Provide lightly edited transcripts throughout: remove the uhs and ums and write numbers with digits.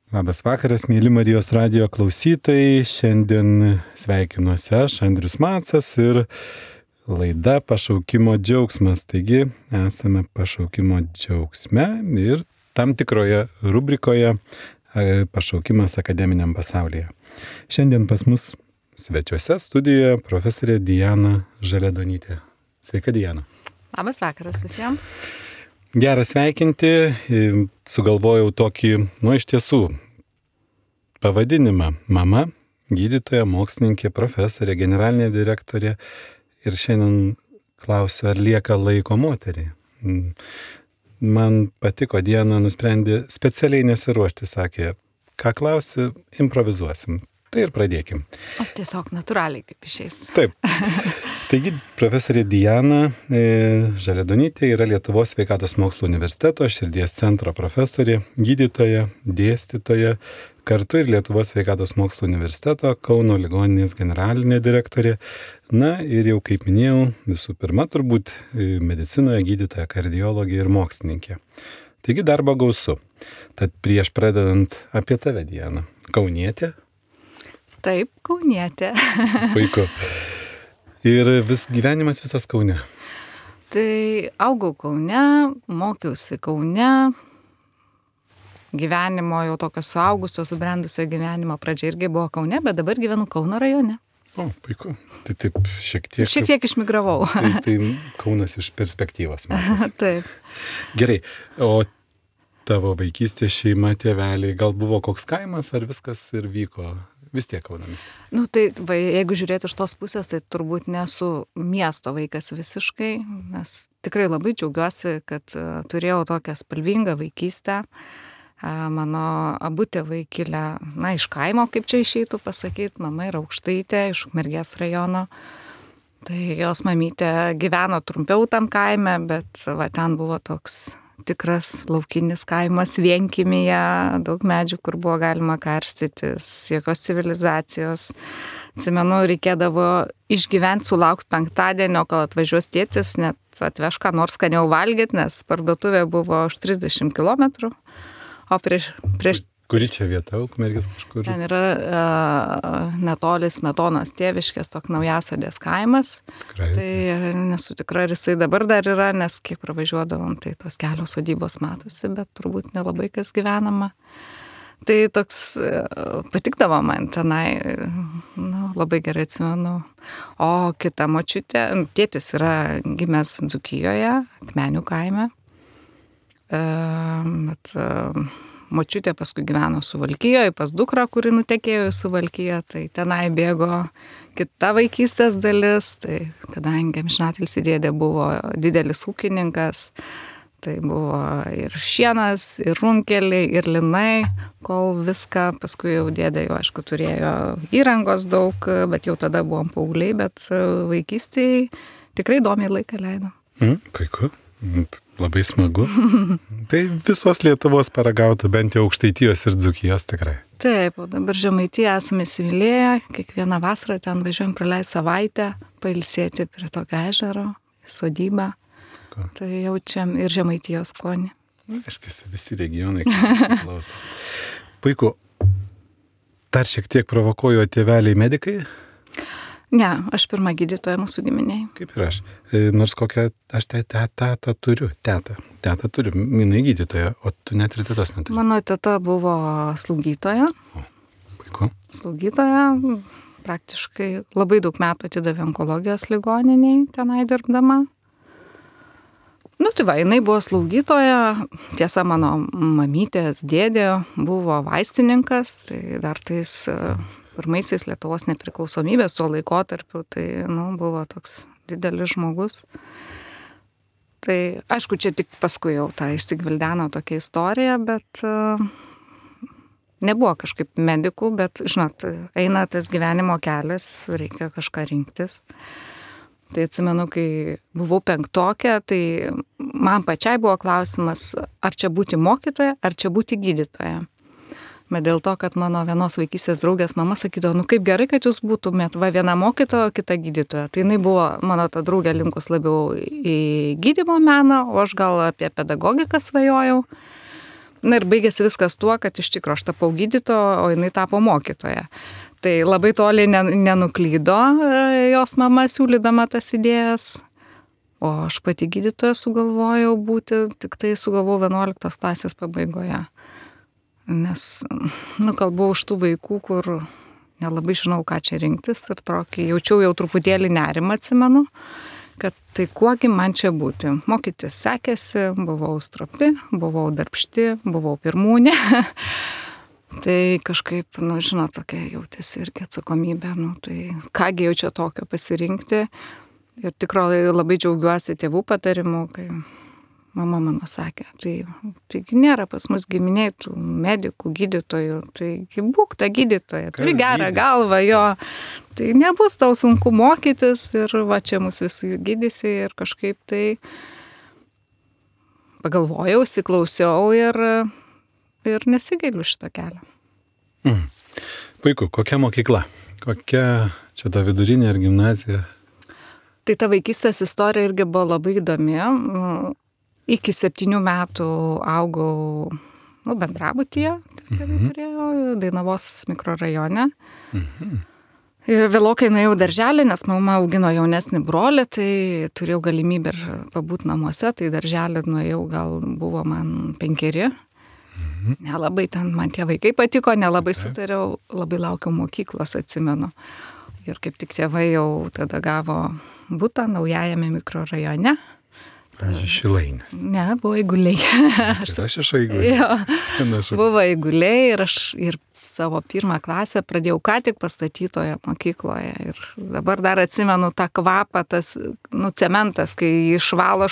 Labas vakaras, mėly Marijos radijo klausytojai. Šiandien sveikinuosi aš, Andrius Macas, ir laida Pašaukimo džiaugsmas. Taigi, esame pašaukimo džiaugsme ir tam tikroje rubrikoje Pašaukimas akademiniam pasaulyje. Šiandien pas mus svečiuose studijoje profesorė Diana Žaliadonytė. Sveika, Diana. Labas vakaras visiems. Gerą sveikinti, sugalvojau tokį, iš tiesų, pavadinimą. Mama, gydytoja, mokslininkė, profesorė, generalinė direktorė. Ir šiandien klausiu, ar lieka laiko moteriai. Man patiko, Diana nusprendė specialiai nesiruošti, sakė, ką klausi, improvizuosim. Tai ir pradėkim. O tiesiog natūraliai kaip išeis. Taip. Taigi, profesorė Diana Žaliadonytė yra Lietuvos sveikatos mokslo universiteto širdies centro profesorė, gydytoja, dėstytoja, kartu ir Lietuvos sveikatos mokslo universiteto Kauno ligoninės generalinė direktorė. Na ir jau kaip minėjau, visų pirma turbūt medicinoje gydytoja, kardiologė ir mokslininkė. Taigi darbo gausu. Tad prieš pradedant apie tave, Diana. Kaunietė? Taip, kaunietė. Puiku. Ir gyvenimas visas Kaune. Tai augau Kaune, mokiausi Kaune. Gyvenimo jau tokio suaugusio, subrendusio gyvenimo pradžia irgi buvo Kaune, bet dabar gyvenu Kauno rajone. O, puiku. Tai taip šiek tiek išmigravau. Tai Kaunas iš perspektyvos. Taip. Gerai, o tavo vaikystė, šeima, tėveliai, gal buvo koks kaimas, ar viskas ir vyko? Vis tiek Kaunamis. Jeigu žiūrėti iš tos pusės, tai turbūt nesu miesto vaikas visiškai, nes tikrai labai džiaugiuosi, kad turėjau tokią spalvingą vaikystę. Mano abu tėvai kilę, iš kaimo, kaip čia išeitų pasakyti, mama yra Aukštaitė iš Ukmergės rajono. Tai jos mamytė gyveno trumpiau tam kaime, bet ten buvo toks tikras laukinis kaimas vienkimyje, daug medžių, kur buvo galima karstytis, jokios civilizacijos. Atsimenu, reikėdavo išgyventi, sulaukti penktadienio, kol atvažiuos tėtis, net atveš ką nors skaniau valgyti, nes parduotuvė buvo už 30 km. O prieš... Kuri čia vieta, Ukmergės kažkur? Ten yra netoli Smetonos tėviškės, toks Naujasodės kaimas. Tikrai. Tai nesu tikra, ar jisai dabar dar yra, nes kiek pravažiuodavom, tai tos kelios sodybos matosi, bet turbūt nelabai kas gyvenama. Tai toks patikdavo man tenai, labai gerai atsimenu. O kita močiutė, tėtis yra gimęs Dzūkijoje, Akmenių kaime. Močiutė paskui gyveno Suvalkijoje, pas dukrą, kuri nutekėjo į Suvalkiją, tai tenai bėgo kita vaikystės dalis, tai kadangi amžinatilsį dėdė buvo didelis ūkininkas, tai buvo ir šienas, ir runkeliai, ir linai, kol viską, paskui jau dėdė jau, aišku, turėjo įrangos daug, bet jau tada buvom paaugliai, bet vaikystėje tikrai įdomiai laiką leidom. Puiku. Labai smagu. Tai visos Lietuvos paragauta, bent jau Aukštaitijos ir Dzūkijos tikrai. Taip, o dabar Žemaitiją esame įsimylėję, kiekvieną vasarą ten važiuojam praleisti savaitę, pailsėti prie tokio ežero, sodybą. Tai jaučiam ir Žemaitijos skonį. Aiškiai, visi regionai klauso. Puiku. Dar šiek tiek provokuoju, tėveliai medikai? Ne, aš pirma gydytoja mūsų giminiai. Kaip ir aš. Nors kokią, aš tetą turiu, jinai gydytoja, o tu net ir tetos neturi. Mano teta buvo slaugytoja. O, puiku. Slaugytoja, praktiškai labai daug metų atidavė onkologijos ligoniniai tenai dirbdama. Jinai buvo slaugytoja, tiesa, mano mamytės dėdė buvo vaistininkas, tai dar tais pirmaisiais Lietuvos nepriklausomybės tuo laikotarpiu, tai buvo toks didelis žmogus. Tai aišku, čia tik paskui jau ta išsigvildeno tokia istorija, bet nebuvo kažkaip medikų, bet, žinot, eina tas gyvenimo kelias, reikia kažką rinktis. Tai atsimenu, kai buvau penktokė, tai man pačiai buvo klausimas, ar čia būti mokytoja, ar čia būti gydytoja. Bet dėl to, kad mano vienos vaikystės draugės mama sakydavo, kaip gerai, kad jūs būtumėt viena mokytoja, kita gydytoja. Tai jinai buvo, mano ta draugė, linkus labiau į gydymo meną, o aš gal apie pedagogiką svajojau. Na ir baigėsi viskas tuo, kad iš tikrųjų aš tapau gydytoja, o jinai tapo mokytoja. Tai labai toli nenuklydo jos mama siūlydama tas idėjas, o aš pati gydytoja sugalvojau būti, tik tai sugalvojau 11 klasės pabaigoje. Nes, kalbu už tų vaikų, kur nelabai žinau, ką čia rinktis ir tokį jaučiau jau truputėlį nerimą, atsimenu, kad tai kuogi man čia būti. Mokytis sekėsi, buvau stropi, buvau darbšti, buvau pirmūnė. Tai kažkaip, žinot, tokia jautėsi irgi atsakomybė, tai kągi jau čia tokio pasirinkti. Ir tikrai labai džiaugiuosi tėvų patarimu, kai mama mano sakė, taigi nėra pas mus giminiai tų medikų, gydytojų, taigi būk ta gydytoja, turi gerą galvą, jo, tai nebus tau sunku mokytis ir va čia mus visi gydysi ir kažkaip tai pagalvojau, įsiklausiau ir nesigailiu šito kelio. Puiku, kokia mokykla? Kokia čia ta vidurinė ar gimnazija? Tai ta vaikystės istorija irgi buvo labai įdomi. Iki 7 metų augau bendrabutyje, turėjau Dainavos mikrorajone. Ir vėlokai nuėjau darželį, nes mama augino jaunesnį brolį, tai turėjau galimybę ir pabūti namuose, tai darželį nuėjau, gal buvo man 5. Nelabai ten man tie vaikai patiko, nelabai sutariau, labai laukiau mokyklos, atsimenu. Ir kaip tik tėvai jau tada gavo butą naujajame mikrorajone. Šilainės. Ne, buvo Eiguliai. Aš iš Eiguliai. Buvo Eiguliai ir aš ir savo 1 klasę pradėjau ką tik pastatytoje mokykloje. Ir dabar dar atsimenu tą kvapą, tas cementas, kai išvalo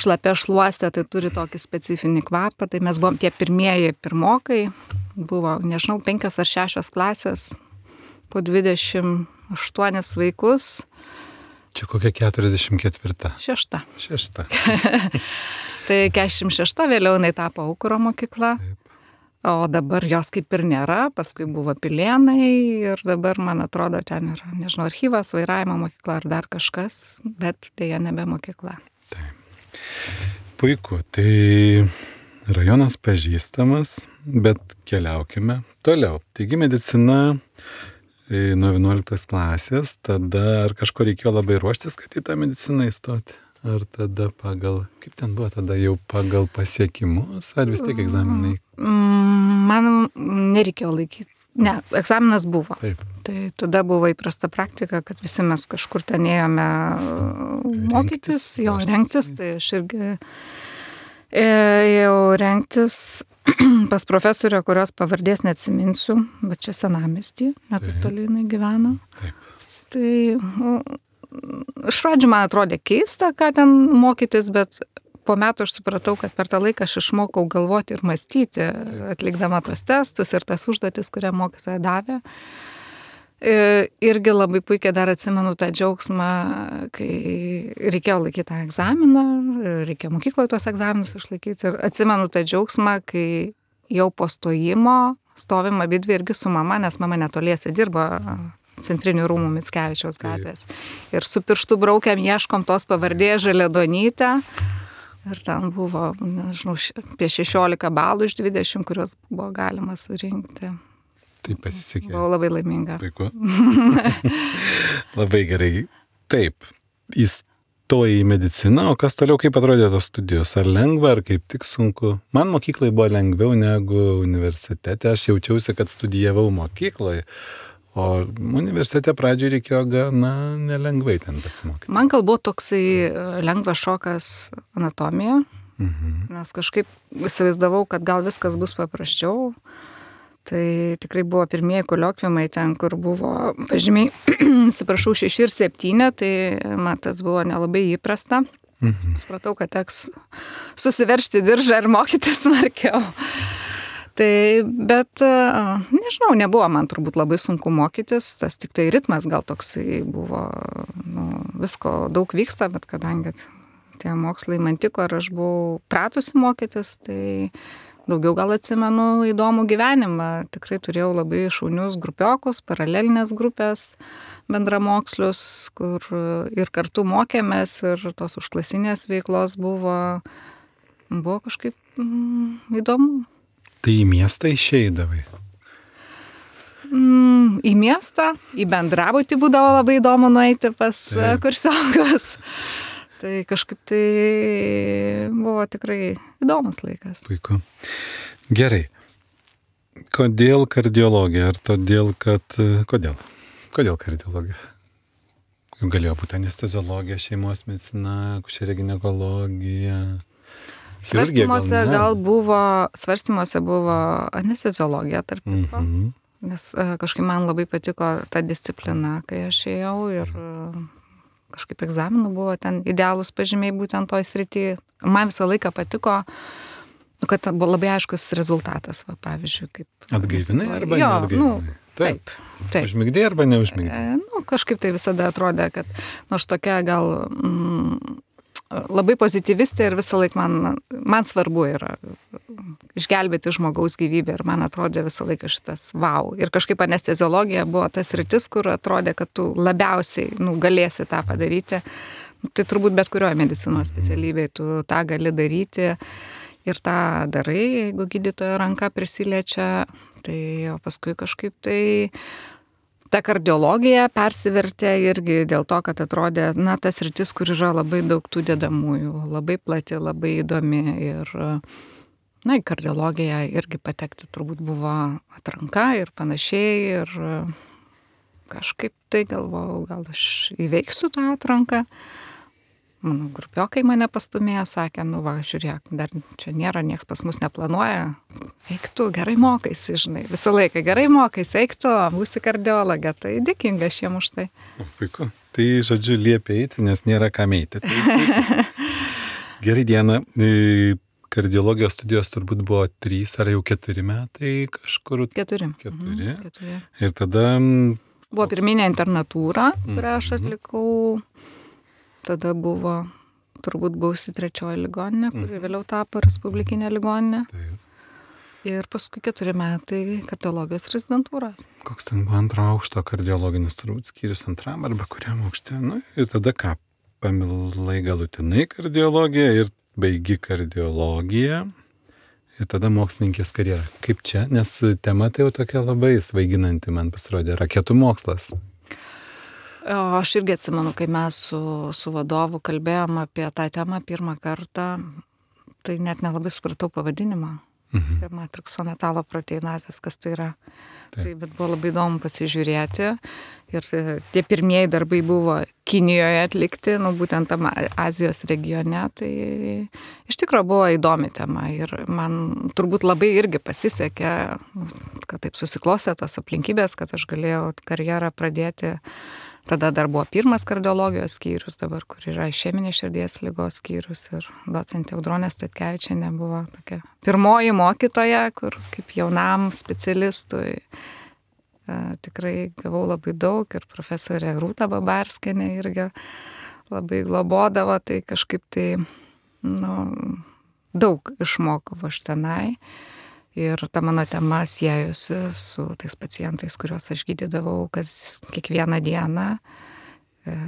šlapia šluostė, tai turi tokį specifinį kvapą. Tai mes buvom tie pirmieji pirmokai. Buvo, nežinau, 5 ar 6 klasės po 28 vaikus. Čia kokia 44? 6. 6. Tai 46 vėliau jinai tapo Aukuro mokykla, o dabar jos kaip ir nėra, paskui buvo Pilėnai ir dabar, man atrodo, ten yra, nežinau, archyvas, vairavimo mokykla ar dar kažkas, bet dėja nebe mokykla. Taip. Puiku, tai rajonas pažįstamas, bet keliaukime toliau. Taigi medicina nuo 11 klasės, tada ar kažko reikėjo labai ruoštis, kad į tą mediciną įstoti? Ar tada kaip ten buvo, tada jau pagal pasiekimus, ar vis tiek egzaminai? Man nereikėjo laikyti. Ne, egzaminas buvo. Taip. Tai tada buvo įprasta praktika, kad visi mes kažkur ten ėjome mokytis, rengtis, tai aš irgi ėjau rengtis pas profesorę, kurios pavardės neatsiminsiu, bet čia Senamiesty, net toli jinai gyveno. Taip. Tai iš pradžių man atrodė keista, ką ten mokytis, bet po metų aš supratau, kad per tą laiką aš išmokau galvoti ir mąstyti, atlikdama tos testus ir tas užduotis, kurią mokytoja davė. Irgi labai puikiai dar atsimenu tą džiaugsmą, kai reikėjo laikyti tą egzaminą, reikėjo mokykloje tuos egzaminus išlaikyti ir atsimenu tą džiaugsmą, kai jau po stojimo stovim abidvi irgi su mama, nes mama netoliese dirbo Centrinių rūmų Mickevičiaus gatvės. Ir su pirštu braukiam, ieškom tos pavardės Žaliadonytę. Ir ten buvo, nežinau, apie 16 balų iš 20, kurios buvo galima surinkti. Tai pasisekė. Buvau labai laiminga. Puiku. Labai gerai. Taip, įstojai į mediciną, o kas toliau, kaip atrodė tos studijos? Ar lengva, ar kaip tik sunku? Man mokyklai buvo lengviau negu universitete. Aš jaučiausi, kad studijavau mokykloje, o universitete pradžioje reikėjo gana nelengvai ten pasimokyti. Man gal buvo toksai lengvas šokas anatomija, nes kažkaip įsivaizdavau, kad gal viskas bus paprasčiau. Tai tikrai buvo pirmieji koliokviumai ten, kur buvo pažymiai, atsiprašau, 6 ir 7, tai man tas buvo nelabai įprasta. Supratau, kad teks susiveršti diržą ir mokytis smarkiau. Tai, bet, nežinau, nebuvo man turbūt labai sunku mokytis, tas tik tai ritmas gal toksai buvo, visko daug vyksta, bet kadangi tie mokslai man tiko ir aš buvau pratusi mokytis, tai daugiau gal atsimenu įdomų gyvenimą. Tikrai turėjau labai šaunius grupiokus, paralelinės grupės, bendramokslius, kur ir kartu mokėmės ir tos užklasinės veiklos buvo kažkaip įdomu. Tai į miestą išeidavai? Į miestą, į bendrabutį būdavo labai įdomu nueiti pas kursiokus. Tai kažkaip tai buvo tikrai įdomus laikas. Puiku. Gerai. Kodėl kardiologija? Ar todėl, kad... Kodėl? Kodėl kardiologija? Galėjo būti anesteziologija, šeimos medicina, akušerė ginekologija. Svarstymuose buvo anesteziologija, tarp kitko. Nes kažkaip man labai patiko ta disciplina, kai aš ėjau ir kažkaip egzaminų buvo ten idealūs pažymiai būtent toj srity. Man visą laiką patiko, kad buvo labai aiškus rezultatas, va, pavyzdžiui, kaip... Atgaivinai arba neatgaivinai? Taip. Užmigdai arba neužmigdai? Kažkaip tai visada atrodė, kad aš tokia gal labai pozityvistė ir visą laiką man svarbu yra išgelbėti žmogaus gyvybę ir man atrodė visą laiką šitas wow. Ir kažkaip anesteziologija buvo tas sritis, kur atrodė, kad tu labiausiai galėsi tą padaryti. Tai turbūt bet kurioje medicinos specialybėje tu tą gali daryti ir tą darai, jeigu gydytojo ranka prisiliečia. Tai o paskui kažkaip tai ta kardiologija persivertė irgi dėl to, kad atrodė, tas sritis, kur yra labai daug tų dedamųjų, labai plati, labai įdomi ir, į kardiologiją irgi patekti turbūt buvo atranka ir panašiai ir kažkaip tai galvojau, gal aš įveiksiu tą atranką. Mano grupiokai mane pastumėjo, sakė, žiūrėk, dar čia nėra, nieks pas mus neplanuoja, eik tu, gerai mokaisi, žinai, visą laiką gerai mokaisi, eik tu, būsi kardiologė, tai dėkinga šiem už tai. Puiku, tai žodžiu liepia eiti, nes nėra kam eiti. Tai, gerai, Diana, kardiologijos studijos turbūt buvo 3 ar jau 4 metai kažkur? 4. 4. 4. Ir tada... Buvo pirminė internatūra, kurią aš atlikau. Tada turbūt buvusi 3 ligoninė, kuri vėliau tapo respublikinė ligoninė. Taip. Ir paskui 4 metai kardiologijos rezidentūros. Koks ten buvo 2 aukšto kardiologinis turbūt skyrius 2 arba kuriam aukšte. Ir tada ką, pamilai galutinai kardiologiją ir baigi kardiologiją. Ir tada mokslininkės karjerą. Kaip čia? Nes tema tai jau tokia labai svaiginanti man pasirodė. Raketų mokslas. Aš irgi atsimenu, kai mes su vadovu kalbėjom apie tą temą pirmą kartą, tai net nelabai supratau pavadinimą. Matrikso metalo proteinazės, kas tai yra. Tai, bet buvo labai įdomu pasižiūrėti. Ir tie pirmieji darbai buvo Kinijoje atlikti, būtent tam Azijos regione. Tai iš tikrųjų buvo įdomi tema. Ir man turbūt labai irgi pasisekė, kad taip susiklostė tas aplinkybės, kad aš galėjau karjerą pradėti. Tada dar buvo 1 kardiologijos skyrius, dabar kur yra išeminės širdies ligos skyrius ir docentė Audronė Statkevičienė buvo tokia pirmoji mokytoja, kur kaip jaunam specialistui tikrai gavau labai daug ir profesorė Rūta Babarskienė irgi labai globodavo, tai kažkaip tai daug išmokau aš tenai. Ir ta mano tema siejusi su tais pacientais, kuriuos aš gydydavau kiekvieną dieną.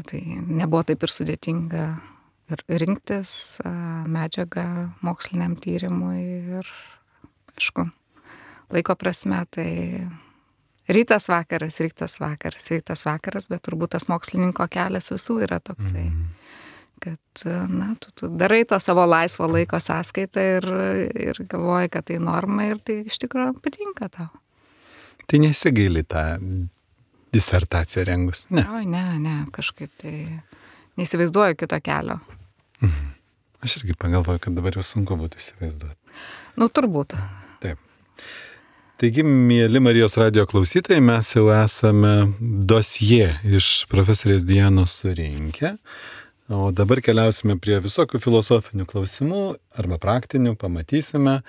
Tai nebuvo taip ir sudėtinga ir rinktis medžiagą moksliniam tyrimui. Ir, aišku, laiko prasme, tai rytas vakaras, bet turbūt tas mokslininko kelias visų yra toksai. Kad, tu darai to savo laisvo laiko sąskaitą ir galvoji, kad tai norma ir tai iš tikrųjų patinka tau. Tai nesigaili tą disertaciją rengus? Ne. Ne, kažkaip tai neįsivaizduoju kito kelio. Aš irgi pagalvoju, kad dabar jau sunku būtų įsivaizduoti. Turbūt. Taip. Taigi, mieli Marijos radijo klausytojai, mes jau esame dosie iš profesorės Dianos surinkę. O dabar keliausime prie visokių filosofinių klausimų arba praktinių, pamatysime.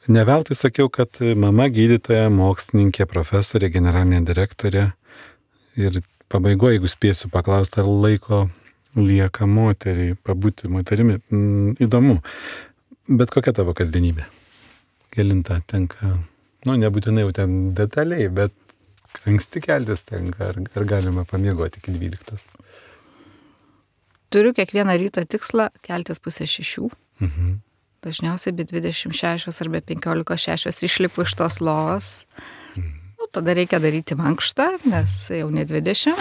Ne veltui sakiau, kad mama gydytoja, mokslininkė, profesorė, generalinė direktorė. Ir pabaigoje, jeigu spėsiu paklausti, ar laiko lieka moteriai, pabūti moterimi. Įdomu. Bet kokia tavo kasdienybė? Kelinta tenka, nebūtinai jau ten detaliai, bet anksti keltis tenka, ar galima pamiegoti iki 12? Turiu kiekvieną rytą tikslą keltis 5:30. dažniausiai be 26 arba 15-6 išlipu iš tos lovos. Nu, tada reikia daryti mankštą, nes jau ne 20.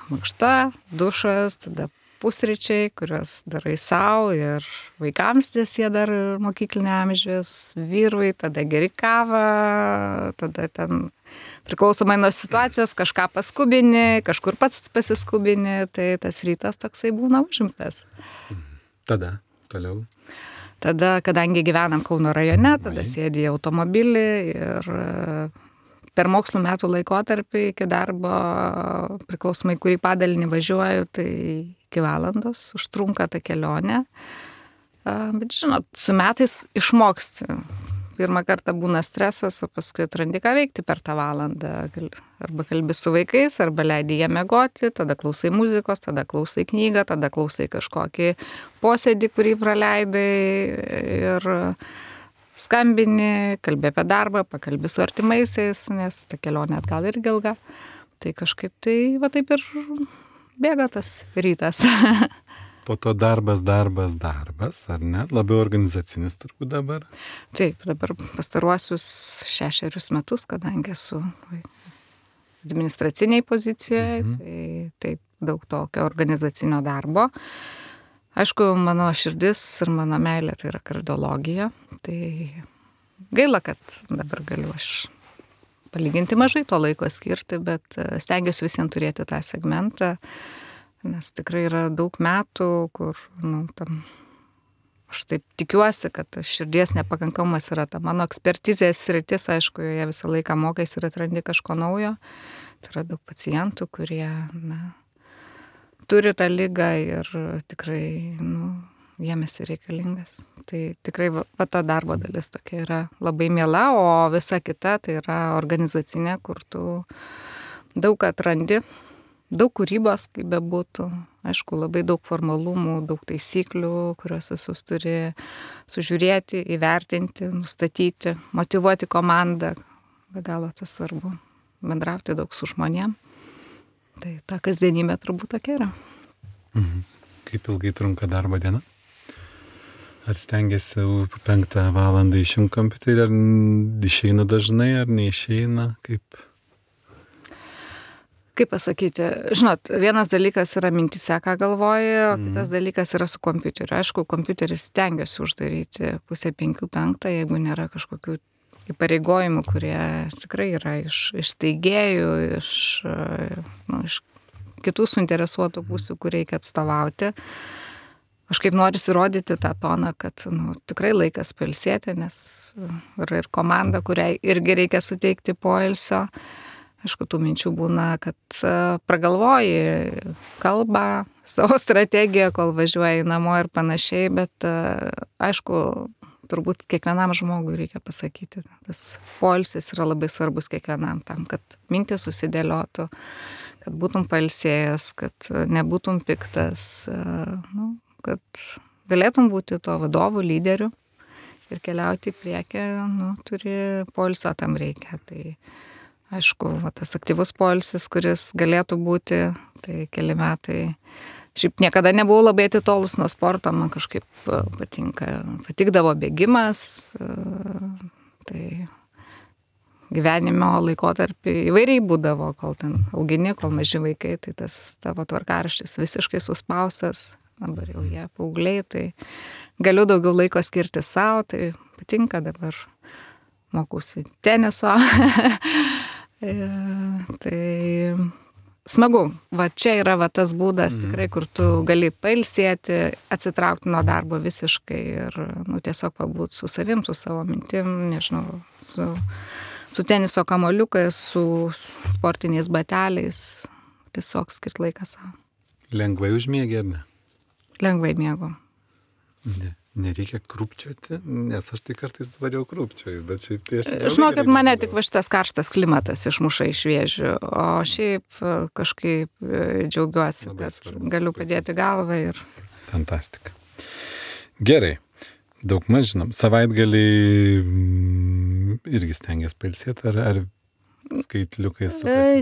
Mankšta, dušas, tada pusryčiai, kuriuos darai savo ir vaikams, nes jie dar mokyklinio amžiaus, vyrui, tada geri kavą, tada ten priklausomai nuo situacijos kažką paskubini, kažkur pats pasiskubini, tai tas rytas toksai būna užimtas. Tada, toliau. Tada, kadangi gyvenam Kauno rajone, tada sėdi į automobilį ir per mokslo metų laikotarpį iki darbo, priklausomai kurį padalinį važiuoju, tai iki valandos užtrunka ta kelionė. Bet žinot, su metais išmoksti. Pirmą kartą būna stresas, o paskui atrandi ką veikti per tą valandą. Arba kalbi su vaikais, arba leidi jie miegoti, tada klausai muzikos, tada klausai knygą, tada klausai kažkokį posėdį, kurį praleidai ir skambini, kalbi apie darbą, pakalbi su artimaisiais, nes ta kelionė atgal irgi ilga. Tai kažkaip tai va taip ir bėga tas rytas. Po to darbas, ar ne? Labiau organizacinis turbūt dabar? Taip, dabar pastaruosius 6 metus, kadangi esu administraciniai pozicijoje, tai taip daug tokio organizacinio darbo. Aišku, mano širdis ir mano meilė tai yra kardiologija. Tai gaila, kad dabar galiu aš palyginti mažai to laiko skirti, bet stengiuosi visiems turėti tą segmentą, nes tikrai yra daug metų, kur, aš taip tikiuosi, kad širdies nepakankamumas yra ta mano ekspertizės sritis, aišku, jie visą laiką mokais ir atrandi kažko naujo. Tai yra daug pacientų, kurie, turi tą ligą ir tikrai, jiem esi reikalingas. Tai tikrai ta darbo dalis tokia yra labai miela, o visa kita tai yra organizacinė, kur tu daug atrandi, daug kūrybos, kaip bebūtų. Aišku, labai daug formalumų, daug taisyklių, kuriuos visus turi sužiūrėti, įvertinti, nustatyti, motyvuoti komandą. Be galo tas svarbu. Bendrauti daug su žmonėm. Tai ta kasdienybė turbūt tokia yra. Kaip ilgai trunka darbo diena? Ar stengiasi 5 valandą išjungti kompiuterį, ar išeina dažnai, ar neišeina? Kaip pasakyti, žinot, vienas dalykas yra mintise, ką galvoji, o kitas dalykas yra su kompiuteriu. Aišku, kompiuterį stengiuosi uždaryti 4:30, jeigu nėra kažkokių įpareigojimų, kurie tikrai yra iš steigėjų, iš kitų suinteresuotų pusių, kur reikia atstovauti. Aš kaip noriu įrodyti tą toną, kad tikrai laikas pailsėti, nes yra ir komanda, kuriai irgi reikia suteikti poilsio. Aišku, tų minčių būna, kad pragalvoji kalbą, savo strategiją, kol važiuoji namo ir panašiai, bet aišku, turbūt kiekvienam žmogui reikia pasakyti. Tas poilsis yra labai svarbus kiekvienam tam, kad mintis susidėliotų, kad būtum pailsėjęs, kad nebūtum piktas, kad galėtum būti to vadovų, lyderių ir keliauti į priekį, turi poilsio tam reikia. Tai aišku, tas aktyvus poilsis, kuris galėtų būti, tai keli metai. Šiaip niekada nebuvau labai atitolus nuo sporto, man kažkaip patikdavo bėgimas, tai gyvenimo laikotarpį įvairiai būdavo, kol ten augini, kol maži vaikai, tai tas tavo tvarkaraštis visiškai suspaustas, dabar jau jie paaugliai, tai galiu daugiau laiko skirti savo, tai patinka dabar mokusi teniso, tai smagu, čia yra tas būdas tikrai, kur tu gali pailsėti, atsitraukti nuo darbo visiškai ir tiesiog pabūti su savim, su savo mintim, nežinau, su teniso kamuoliukais, su sportiniais bateliais, tiesiog skirt laiką savo. Lengvai užmiegi, ar ne? Lengvai miegu. Nereikia krūpčioti, nes aš tai kartais dabar jau krūpčioju, bet šiaip tai aš... Žinau, kad mane tik šitas karštas klimatas išmuša iš vėžių, o šiaip kažkaip džiaugiuosi, kad galiu padėti galvą ir... Fantastika. Gerai, daug maž žinom, savaitgalį irgi stengiasi pailsėti, ar skaitliukai sukasi galvoje?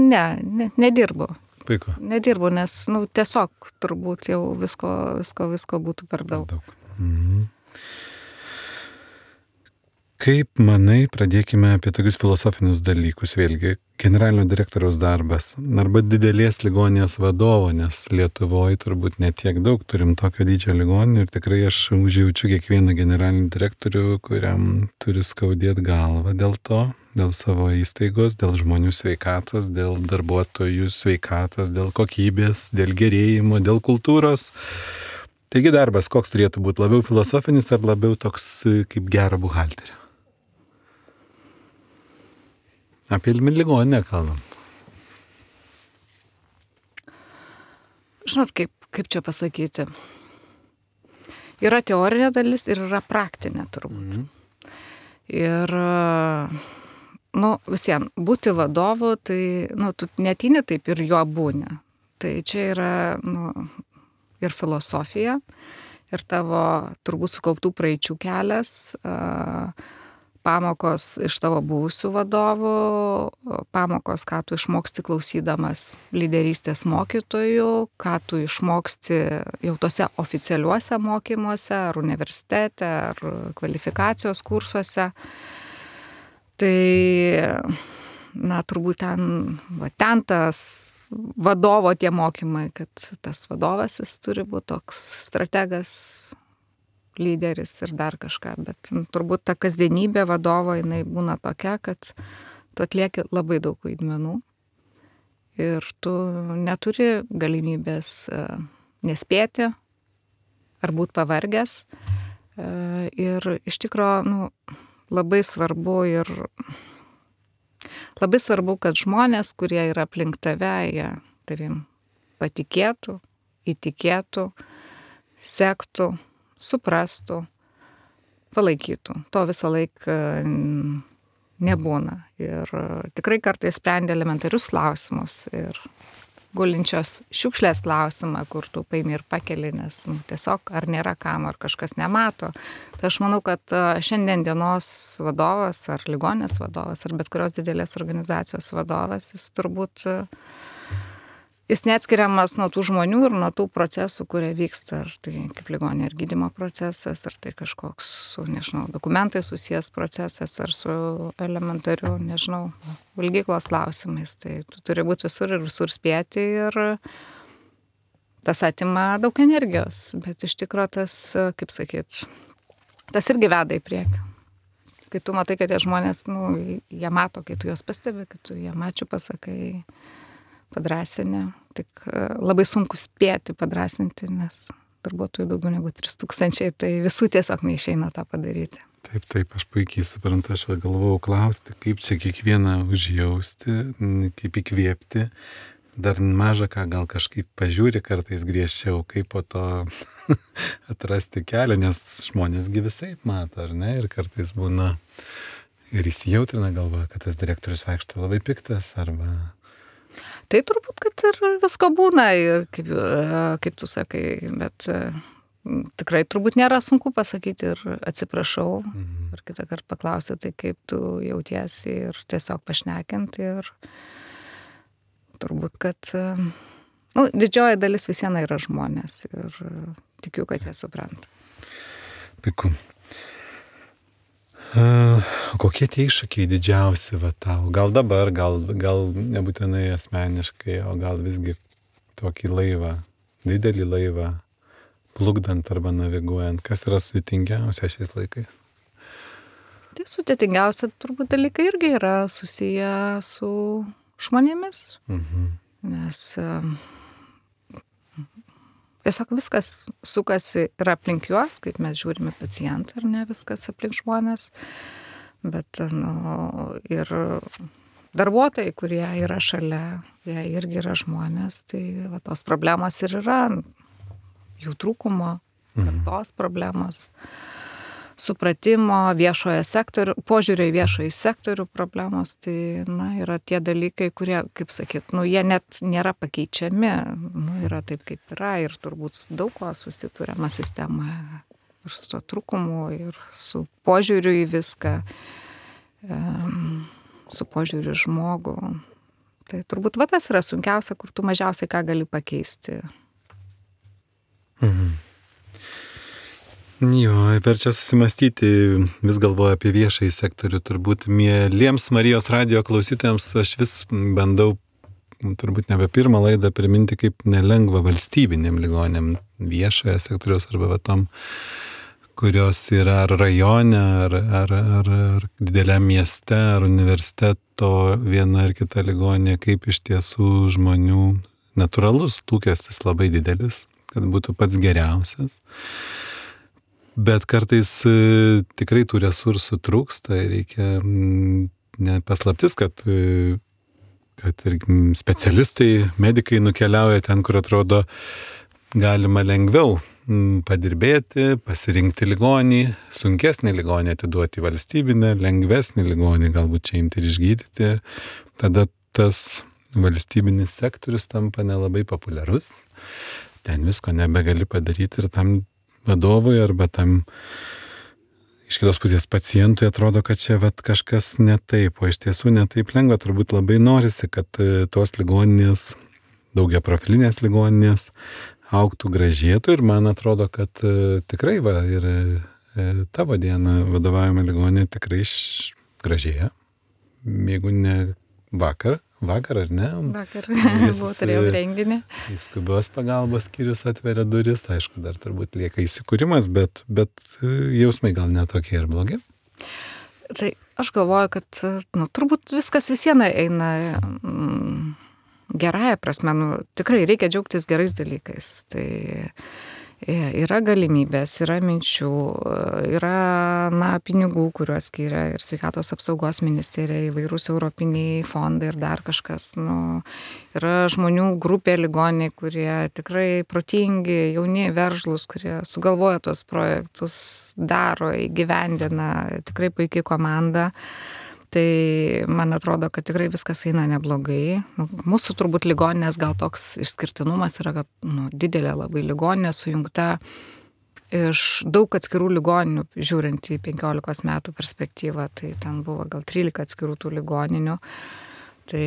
Ne, nedirbu. puiku. Nedirbu, nes, tiesiog turbūt jau visko būtų per daug. Mhm. Kaip manai, pradėkime apie tokius filosofinius dalykus, vėlgi, generalinio direktoriaus darbas arba didelės ligoninės vadovo, nes Lietuvoje turbūt netiek daug turim tokio dydžio ligoninių ir tikrai aš užjaučiu kiekvieną generalinį direktorių, kuriam turi skaudėti galvą dėl to, dėl savo įstaigos, dėl žmonių sveikatos, dėl darbuotojų sveikatos, dėl kokybės, dėl gerėjimo, dėl kultūros. Taigi darbas koks turėtų būti, labiau filosofinis ar labiau toks kaip gero buhalterio? Apie ligoninę kalbam. Žinot, kaip čia pasakyti. Yra teorinė dalis ir yra praktinė turbūt. Ir, visien, būti vadovu, tai, tu neateini taip ir jo būni. Tai čia yra, ir filosofija, ir tavo turbūt sukauptų praeičių kelias, pamokos iš tavo buvusių vadovų, pamokos, ką tu išmoksti klausydamas lyderystės mokytojų, ką tu išmoksti jau tose oficialiuose mokymuose, ar universitete, ar kvalifikacijos kursuose. Tai, turbūt ten tas vadovo tie mokymai, kad tas vadovas jis turi būti toks strategas, lyderis ir dar kažką, bet turbūt ta kasdienybė vadovo, jinai būna tokia, kad tu atlieki labai daug vaidmenų ir tu neturi galimybės nespėti ar būti pavargęs. Ir iš tikrųjų, labai svarbu kad žmonės, kurie yra aplink tave, jie tavim patikėtų, įtikėtų, sektų, suprastų, palaikytų. To visą laiką nebūna. Ir tikrai kartais sprendė elementarius klausimus ir gulinčios šiukšlės klausimą, kur tu paimi ir pakeli, nes tiesiog ar nėra kam, ar kažkas nemato. Tai aš manau, kad šiandien dienos vadovas, ar ligoninės vadovas, ar bet kurios didelės organizacijos vadovas, jis turbūt jis neatskiriamas nuo tų žmonių ir nuo tų procesų, kurie vyksta, ar tai kaip ligoninė ir gydymo procesas, ar tai kažkoks su, dokumentai susijęs procesas, ar su elementariu, valgyklos klausimais. Tai tu turi būti visur ir visur spėti ir tas atima daug energijos, bet iš tikrųjų tas, kaip sakyt, tas irgi veda į priekį. Kai tu matai, kad tie žmonės, jie mato, kai tu juos pastebi, kai tu jie ačiū pasakai, padrasinę, tik labai sunku spėti padrasinti, nes darbuotojų daugiau negu 3000, tai visų tiesiog neišeina tą padaryti. Taip, aš puikiai suprantu, aš galvojau klausti, kaip čia kiekvieną užjausti, kaip įkvėpti, dar maža ką gal kažkaip pažiūri kartais griežčiau, kaip po to atrasti kelią, nes žmonėsgi visaip mato, ar ne, ir kartais būna ir įsijautrina galva, kad tas direktorius vaikšto labai piktas, arba... Tai turbūt, kad ir visko būna, ir kaip tu sakai, bet tikrai turbūt nėra sunku pasakyti ir atsiprašau, ir kitą kartą paklausyti, tai kaip tu jautiesi ir tiesiog pašnekinti ir turbūt, kad didžioji dalis visieną yra žmonės ir tikiu, kad jie supranta. Puiku. Kokie tie iššūkiai didžiausi tau? Gal dabar, gal nebūtinai asmeniškai, o gal visgi tokį laivą, didelį laivą, plukdant arba naviguojant. Kas yra sudėtingiausia šiais laikais? Tai sudėtingiausia turbūt dalykai irgi yra susiję su žmonėmis, nes tiesiog viskas sukasi ir aplink juos, kaip mes žiūrime pacientų, ar ne viskas aplink žmonės, bet ir darbuotojai, kurie yra šalia, jie irgi yra žmonės, tai tos problemos ir yra jų trūkumo, kartos problemos, supratimo, viešojo sektorių, požiūrio į viešojo sektorių problemos, tai yra tie dalykai, kurie, kaip sakyt, jie net nėra pakeičiami, yra taip, kaip yra ir turbūt daug ko susituriama sistemoje ir su to trūkumu, ir su požiūriu į viską, su požiūriu į žmogų. Tai turbūt va tas yra sunkiausia, kur tu mažiausiai ką gali pakeisti. Jo, verčia susimastyti, vis galvoju apie viešąjį sektorių, turbūt mieliems Marijos radijo klausytojams aš vis bandau, turbūt nebe pirmą laidą priminti, kaip nelengva valstybinėm ligonėm viešojo sektoriaus arba tom, kurios yra ar rajone, ar dideliam mieste, ar universiteto viena ar kita ligonė, kaip iš tiesų žmonių natūralus lūkestis labai didelis, kad būtų pats geriausias. Bet kartais tikrai tų resursų trūksta ir reikia nepaslaptis, kad ir specialistai, medikai nukeliauja ten, kur atrodo galima lengviau padirbėti, pasirinkti ligonį, sunkesnį ligonį atiduoti valstybinę, lengvesnį ligonį galbūt čia imti ir išgydyti. Tada tas valstybinis sektorius tampa nelabai populiarus. Ten visko nebegali padaryti ir tam vadovui arba tam iš kitos pusės pacientui atrodo, kad čia kažkas ne taip, o iš tiesų ne taip lengva. Turbūt labai norisi, kad tos ligoninės, daugiaprofilinės ligoninės augtų, gražėtų ir man atrodo, kad tikrai ir tavo diena vadovaujama ligoninė tikrai gražėja. Jeigu ne vakar ar ne? Vakar turėjau renginį. Skubios pagalbos skyrius atveria duris, aišku, dar turbūt lieka įsikūrimas, bet jausmai gal netokie ir blogi. Tai aš galvoju, kad turbūt viskas visieną eina gerąją prasme, tikrai reikia džiaugtis gerais dalykais. Tai yra galimybės, yra minčių, yra pinigų, kuriuos skiria ir sveikatos apsaugos ministerija, įvairūs europiniai fondai ir dar kažkas. Yra žmonių grupė ligoniai, kurie tikrai protingi, jauni, veržlus, kurie sugalvoja tos projektus, daro, įgyvendina, tikrai puikiai komanda. Tai man atrodo, kad tikrai viskas eina neblogai. Mūsų turbūt ligoninės gal toks išskirtinumas yra, kad didelė labai ligoninė sujungta iš daug atskirų ligoninių, žiūrint į 15 metų perspektyvą, tai ten buvo gal 13 atskirų tų ligoninių. Tai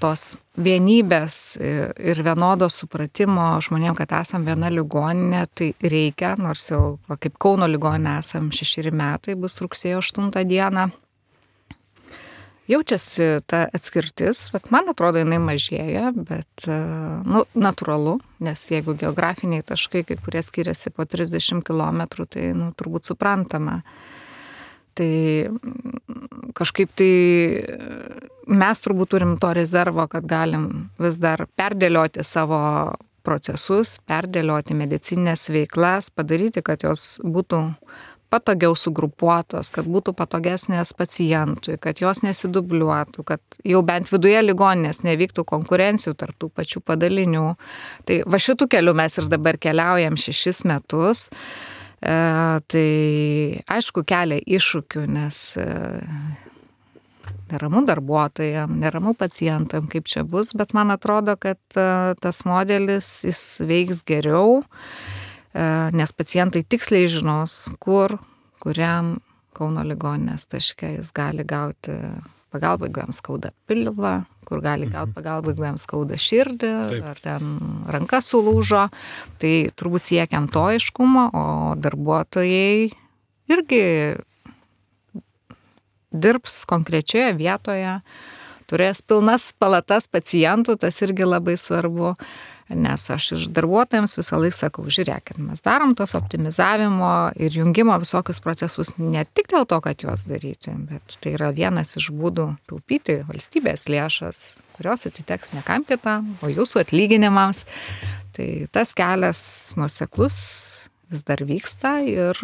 tos vienybės ir vienodo supratimo žmonėm, kad esam viena ligoninė, tai reikia, nors jau kaip Kauno ligoninė esam 6 metai, bus rugsėjo 8 dieną. Jaučiasi ta atskirtis, bet man atrodo, jinai mažėja, bet natūralu, nes jeigu geografiniai taškai, kai kurie skiriasi po 30 km, tai turbūt suprantama. Tai kažkaip tai mes turbūt turim to rezervo, kad galim vis dar perdėlioti savo procesus, perdėlioti medicinės veiklas, padaryti, kad jos būtų patogiau sugrupuotos, kad būtų patogesnės pacientui, kad jos nesidubliuotų, kad jau bent viduje ligoninės nevyktų konkurencijų tarp tų pačių padalinių. Tai va šitų kelių mes ir dabar keliaujam 6 metus. Tai aišku kelia iššūkių, nes neramu darbuotojam, neramu pacientam, kaip čia bus, bet man atrodo, kad tas modelis jis veiks geriau, nes pacientai tiksliai žinos, kuriam Kauno ligoninės taške jis gali gauti pagalbą, jeigu jam skauda pilvą, kur gali gauti pagalbą, jeigu jam skauda širdį, ar ten ranka sulūžo. Tai turbūt siekiam to aiškumo, o darbuotojai irgi dirbs konkrečioje vietoje, turės pilnas palatas pacientų, tas irgi labai svarbu. Nes aš ir darbuotojams visą laiką sakau, žiūrėkit, mes darom tos optimizavimo ir jungimo visokius procesus ne tik dėl to, kad juos daryti, bet tai yra vienas iš būdų taupyti valstybės lėšas, kurios atiteks ne kam kitam, o jūsų atlyginimams. Tai tas kelias nuoseklus vis dar vyksta ir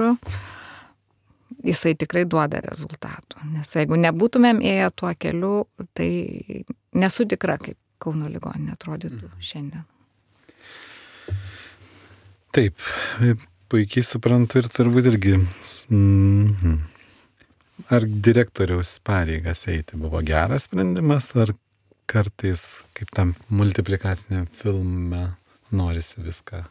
jisai tikrai duoda rezultatų. Nes jeigu nebūtumėm ėję tuo keliu, tai nesu tikra, kaip Kauno ligoninė atrodytų šiandien. Taip, puikiai suprantu ir turbūt irgi, ar direktoriaus pareigas eiti buvo geras sprendimas, ar kartais, kaip tam multiplikaciniam filme, norisi viską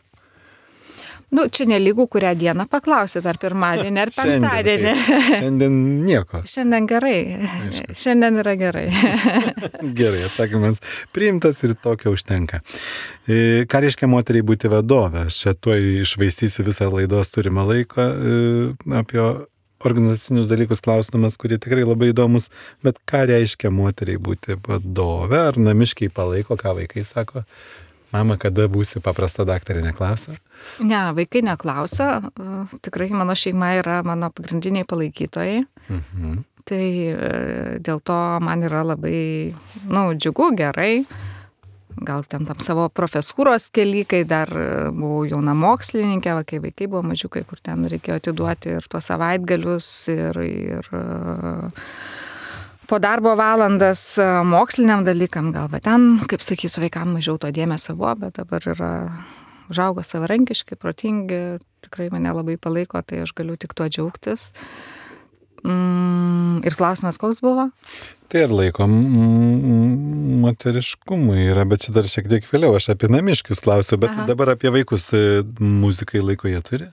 Nu, čia nelygų, kurią dieną paklausit, ar pirmadienį, ar penktadienį. Šiandien nieko. Šiandien gerai. Aišku. Šiandien yra gerai. Gerai, atsakymas priimtas ir tokio užtenka. Ką reiškia moteriai būti vadove? Aš čia tuoj išvaistysiu visą laidos turimą laiką apie organizacinius dalykus klausimas, kurie tikrai labai įdomus, bet ką reiškia moteriai būti vadove? Ar namiškiai palaiko, ką vaikai sako? Mama, kada būsi paprasta daktarė, neklausia? Ne, vaikai neklausia. Tikrai mano šeima yra mano pagrindiniai palaikytojai. Tai dėl to man yra labai, džiugu, gerai. Gal ten tam savo profesūros kely, kai dar buvau jauna mokslininkė, kai vaikai buvo mažiukai, kur ten reikėjo atiduoti ir tuos savaitgalius, ir po darbo valandas moksliniam dalykam, gal ten, kaip sakysiu, vaikam mažiau to dėmesio buvo, bet dabar yra užaugo savarankiški, protingi, tikrai mane labai palaiko, tai aš galiu tik tuo džiaugtis. Ir klausimas, koks buvo? Tai ir laiko moteriškumui yra, bet čia dar šiek tiek vėliau, aš apie namiškius klausiu, bet dabar apie vaikus. Muzikai laiko jie turi?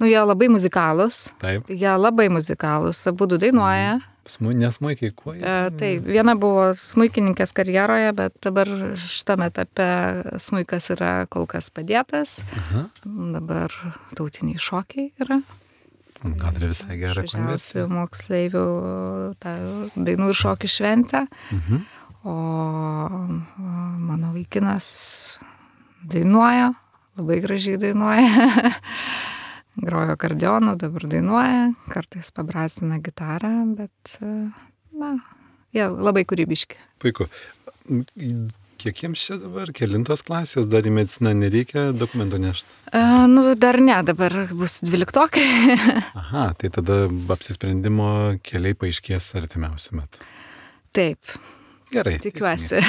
Jie labai muzikalūs. Taip. Jie labai muzikalūs, abudu dainuoja. Nesmuikiai kuo? Taip, viena buvo smuikininkės karjeroje, bet dabar šitame etape smuikas yra kol kas padėtas. Dabar tautiniai šokiai yra. Gal ir visai gera konversija. Moksleivių dainų ir šokių šventę. O mano vaikinas dainuoja, labai gražiai dainuoja. Grojo akordeonu, dabar dainuoja, kartais pabrasina gitarą, bet, jie labai kūrybiški. Puiku. Kiek jiems čia dabar? Kelintos klasės? Dar į mediciną nereikia dokumentų nešti? Dar ne, dabar bus 12. Aha, tai tada apsisprendimo keliai paaiškės artimiausiu metu. Taip. Gerai. Tikiuosi.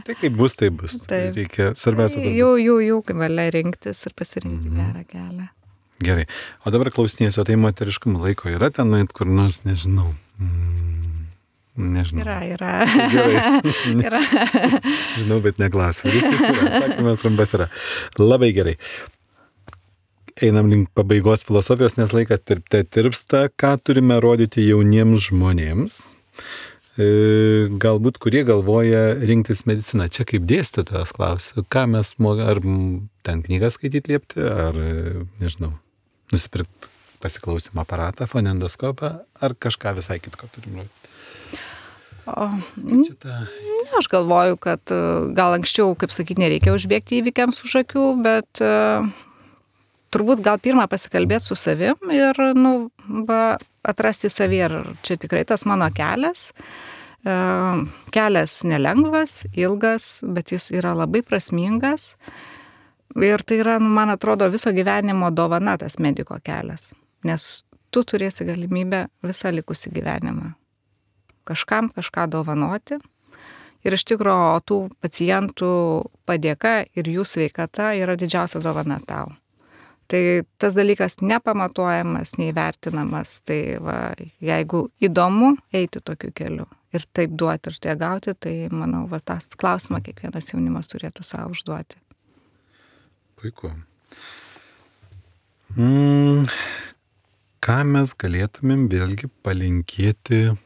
Tai kaip bus, tai bus. Taip. Reikia, svarbiausia. Jų valia rinktis ir pasirinkti gerą kelią. Gerai. O dabar klausinėsiu, tai moteriškumo laiko yra ten, kur nors, nežinau. Nežinau. Yra. Gerai. Yra. Žinau, bet neklausiu. Ryškis yra. Atsakymas trumpas yra. Labai gerai. Einam link pabaigos filosofijos, nes laikas tirpsta. Ką turime rodyti jauniems žmonėms? Galbūt kurie galvoja rinktis mediciną. Čia kaip dėstytojas klausiu. Ką mes ar ten knygą skaityti liepti, ar, nežinau, nusipirkti pasiklausimo aparatą, fonendoskopą, ar kažką visai kitko turim rodyti? Aš galvoju, kad gal anksčiau, kaip sakyti, nereikia užbėgti įvykiams už akių, bet turbūt gal pirmą pasikalbėti su savim ir atrasti savį, ar čia tikrai tas mano kelias. Kelias nelengvas, ilgas, bet jis yra labai prasmingas. Ir tai yra, man atrodo, viso gyvenimo dovana tas mediko kelias. Nes tu turėsi galimybę visą likusį gyvenimą kažkam kažką dovanoti. Ir iš tikrųjų, tų pacientų padėka ir jų sveikata yra didžiausia dovana tau. Tai tas dalykas nepamatuojamas, neįvertinamas. Tai jeigu įdomu eiti tokiu keliu ir taip duoti ir tai gauti, tai manau, tas klausimą kiekvienas jaunimas turėtų savo užduoti. Puiku. Ką mes galėtumėm vėlgi palinkėti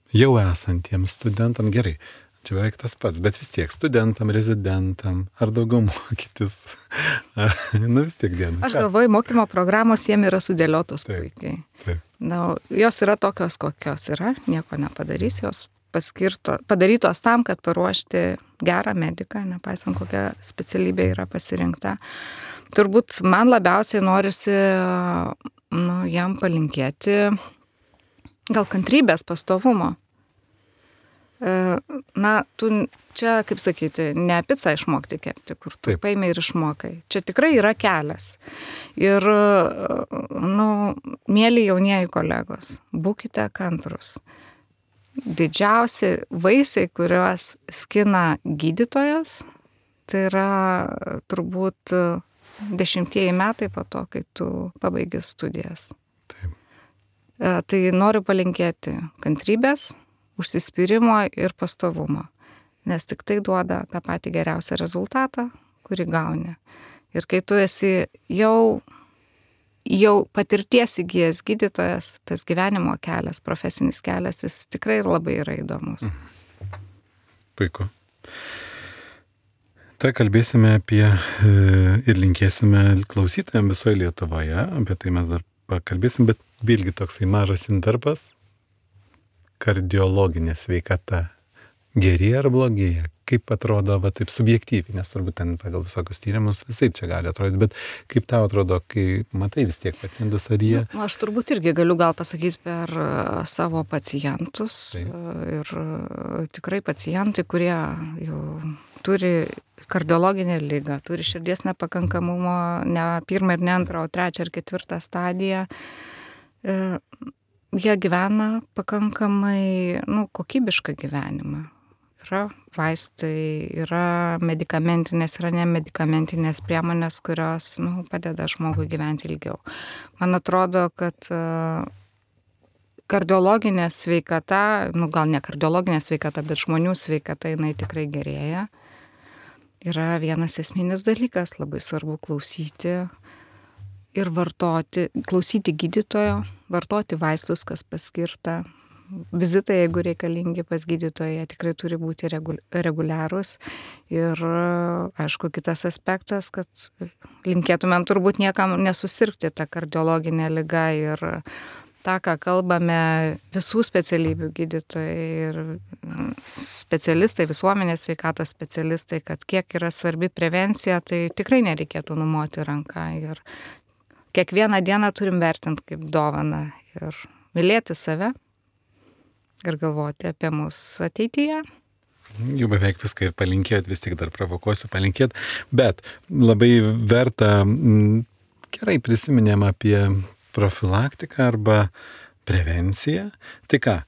jau esantiems studentam? Gerai, čia beveik tas pats, bet vis tiek studentam, rezidentam, ar daugiau mokytis? Vis tiek diena. Aš galvoju, mokymo programos jiem yra sudėliotos puikiai. Taip. Jos yra tokios, kokios yra, nieko nepadarys, jos padarytos tam, kad paruošti gerą mediką, nepaisant kokia specialybė yra pasirinkta. Turbūt man labiausiai norisi jam palinkėti gal kantrybės, pastovumo. Tu čia, kaip sakyti, ne picą išmokti kepti, kur tu paimi ir išmokai. Čia tikrai yra kelias. Ir, mėly jaunieji kolegos, būkite kantrus. Didžiausi vaisiai, kuriuos skina gydytojas, tai yra turbūt 10 metai po to, kai tu pabaigi studijas. Taip. Tai noriu palinkėti kantrybės, užsispyrimo ir pastovumo, nes tik tai duoda tą patį geriausią rezultatą, kurį gauni. Ir kai tu esi jau patirties įgijęs gydytojas, tas gyvenimo kelias, profesinis kelias, jis tikrai labai yra įdomus. Puiku. Tai kalbėsime apie ir linkėsime klausytojams visoje Lietuvoje, apie tai mes dar pakalbėsim, bet vėlgi toksai mažas intarpas. Kardiologinė sveikata gerėja ar blogėja? Kaip atrodo, taip subjektyviai, nes turbūt ten pagal visokius tyrimus visai čia gali atrodyti, bet kaip tau atrodo, kai matai vis tiek pacientus, ar jie? Aš turbūt irgi galiu gal pasakyti per savo pacientus. Taip. Ir tikrai pacientai, kurie jau turi kardiologinę ligą, turi širdies nepakankamumo, ne 1 ir ne 2, o 3 ir 4 stadiją, jie gyvena pakankamai, kokybišką gyvenimą. Yra vaistai, yra medikamentinės, yra nemedikamentinės priemonės, kurios, padeda žmogui gyventi ilgiau. Man atrodo, kad kardiologinė sveikata, gal ne kardiologinė sveikata, bet žmonių sveikata, jinai tikrai gerėja. Yra vienas esminis dalykas, labai svarbu klausyti ir klausyti gydytojo, vartoti vaistus, kas paskirta. Vizitai, jeigu reikalingi pas gydytoją, tikrai turi būti reguliarūs. Ir aišku, kitas aspektas, kad linkėtumėm turbūt niekam nesusirgti tą kardiologinę ligą ir tą, ką kalbame visų specialybių gydytojai ir specialistai, visuomenės sveikatos specialistai, kad kiek yra svarbi prevencija, tai tikrai nereikėtų numoti ranką. Ir kiekvieną dieną turim vertinti kaip dovaną ir mylėti save ir galvoti apie mus ateityje. Jau beveik viską ir palinkėt, vis tik dar provokuosiu palinkėt, bet labai verta, gerai prisiminėm apie profilaktiką arba prevenciją. Tai ką,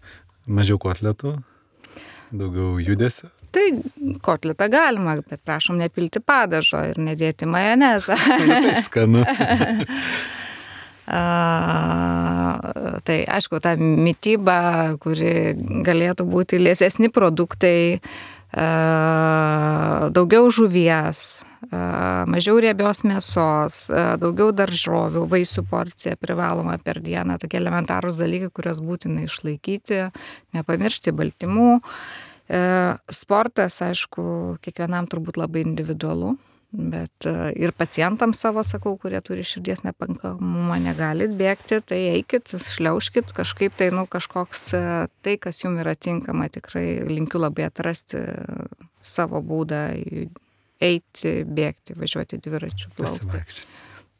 mažiau kotletų, daugiau judesio? Tai kotletą galima, bet prašom nepilti padažo ir nedėti majonezą. Tai skanu. Tai aišku, ta mityba, kuri galėtų būti liesesni produktai, daugiau žuvies, mažiau riebios mėsos, daugiau daržovių, vaisių porcija privaloma per dieną, tokie elementarūs dalykai, kuriuos būtina išlaikyti, nepamiršti baltymų. Sportas, aišku, kiekvienam turbūt labai individualu. Bet ir pacientams savo sakau, kurie turi širdies nepakankamumą, negalit bėgti, tai eikit, šliaužkit, kažkaip tai, kažkoks tai, kas jums yra tinkama, tikrai linkiu labai atrasti savo būdą, eiti, bėgti, važiuoti dviračiu, plaukti.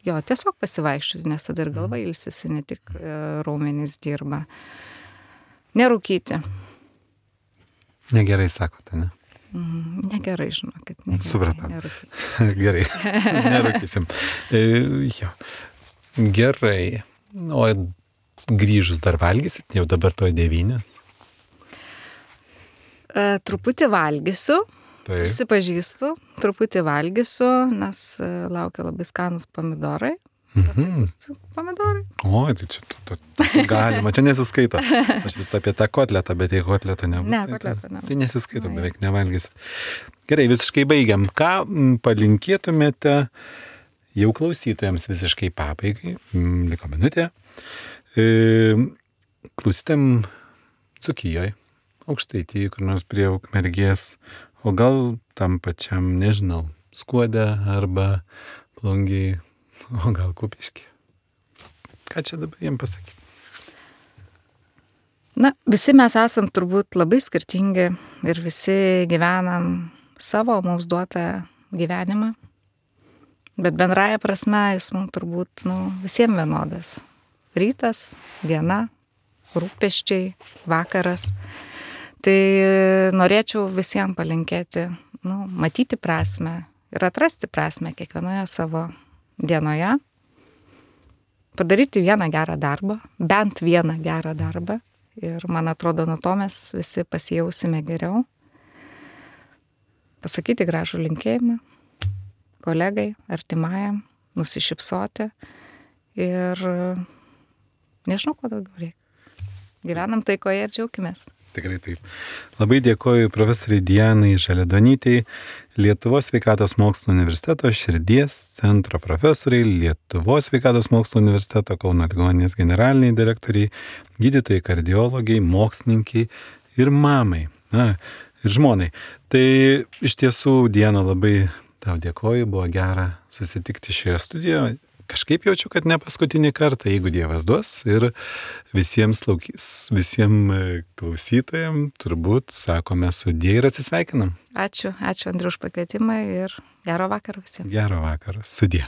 Jo, tiesiog pasivaikščioti, nes tada ir galva ilsisi, ne tik raumenys dirba. Nerūkyti. Negerai sakote, ne? Negerai, žinokit. Supratau. Gerai, nerūkysim. Jo. Gerai. O grįžus dar valgysit, jau dabar to 9? Truputį valgysiu, Taip. Prisipažįstu, truputį valgysiu, nes laukia labai skanus pomidorai. Pomidorai. O, tai čia galima, čia nesiskaito. Aš vis apie tą kotletą, bet jei kotletą nebus. Ne, kotletą nebus. Tai nesiskaito, beveik nevalgysit. Gerai, visiškai baigiam. Ką palinkėtumėte jau klausytojams visiškai pabaigai? Liko minutė. Klausytėm Dzūkijoje, Aukštaitijoje, kur nors prie Ukmergės, o gal tam pačiam, nežinau, Skuode arba Plungėje. O gal Kupiškį. Ką čia dabar jiem pasakyti? Visi mes esam turbūt labai skirtingi ir visi gyvenam savo mums duotą gyvenimą, bet bendraja prasme jis mums turbūt visiems vienodas. Rytas, diena, rūpesčiai, vakaras. Tai norėčiau visiems palinkėti, matyti prasmę ir atrasti prasmę kiekvienoje savo dienoje, padaryti vieną gerą darbą, bent vieną gerą darbą ir man atrodo, nuo to mes visi pasijausime geriau. Pasakyti gražų linkėjimą kolegai, artimajam, nusišypsoti ir nežinau, ko daugiau reikia. Gyvenam taikoje ir džiaukimės. Tikrai taip. Labai dėkoju profesoriai Dianai Žaliadonytei, Lietuvos sveikatos mokslo universiteto širdies centro profesoriai, Lietuvos sveikatos mokslo universiteto Kauno ligoninės generaliniai direktoriai, gydytojai, kardiologai, mokslininkai ir mamai, ir žmonai. Tai iš tiesų, Diana, labai tau dėkoju, buvo gera susitikti šioje studijoje. Kažkaip jaučiu, kad ne paskutinį kartą, jeigu Dievas duos, ir visiems klausytojams turbūt sakome sudie ir atsisveikinam. Ačiū Andriu už pakvietimą ir gero vakaro visiems. Gero vakaro, sudie.